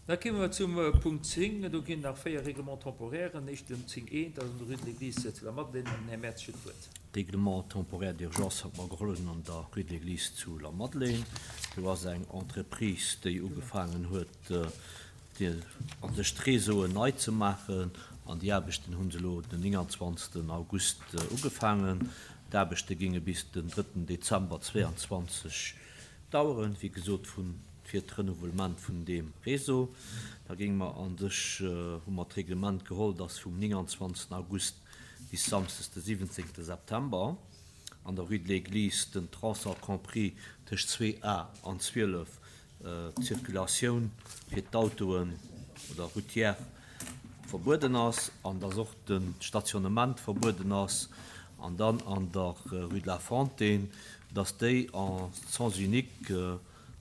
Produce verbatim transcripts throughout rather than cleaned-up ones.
Da kéime mer zum Punkt zéng. Do ginn nach véier Règlements temporairen. Éischten zéng eent, dat ass an der Rue de l'Église zu Lamadelaine. An den Här Mertz huet d'Wuert. Règlement temporaire d'urgence hat mer geholl hunn an der Rue de l'Église zu Lamadelaine. Do ass eng Entreprise, déi ugefaangen huet, déi an sech d'Réseauen nei ze maachen. An déi Aarbechten hu se elo den nénganzwanzegsten August ugefaangen. D'Aarbechte ginge bis den drëtten Dezember zweeanzwanzeg daueren, wéi gesot, vun fir d'Renouvellement vun deem Réseau. Da géinge mer an sech, hu mer d'Reglement geholl, dass vum nénganzwanzegsten August bis samsdes de siwwenzéngte September an der Rue de l'Église den Tronçon compris tëscht zwee A an zwielef d'Circulatioun fir d'Autoen oder routière verbueden ass an dass och de Stationnement verbueden ass. An dann an der Rue de la Fontaine, dass déi en sens unique,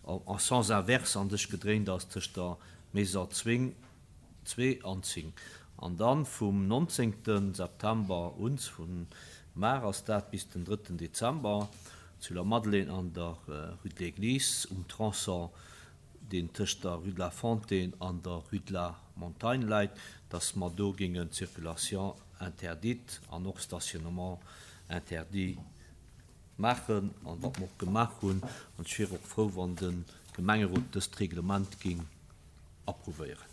en sens inverse an sech gedréint ass tëscht der Maison Zwing zwee an zéng. An dann vum nonzéngte September un, vun mar ass dat, bis den drëtten Dezember zu La Madeleine an der Rue de l'Église um Tronçon, deen tëscht der Rue de la Fontaine an der Rue de la Montagne läit, dass mer do géingen d'Circulation interdite an och Stationnement interdit maachen, an wat mer och gemaach hunn. An ech wier och frou, wann de Gemengerot dëst Reglement géing approuvéieren.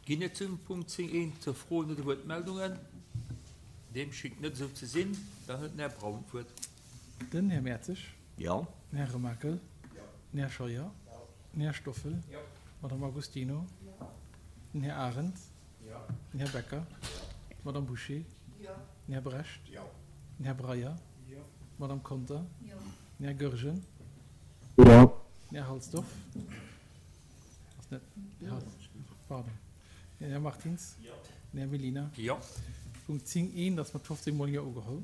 Ginn et zum Punkt zéng eent Froen oder Wuertmeldungen? Deem schéngt net esou ze sinn. Dann huet den Här Braun d'Wuert. Den Här Mertzig. Jo. Den Här Remakel. Den Här Scheuer. Den Här Stoffel. D'Madame Agostino. Den Här Arendt. Den Här Becker. D'Madame Bouché. Den Här Brecht. Den Här Breyer. D'Madame Conter. Den Här Goergen. Den Här Halsdorf. Ass net, pardon. Den Här Martins. Den Här Mellina. Jo. Punkt zéng eent ass mat fofzéng Mol Jo ugeholl.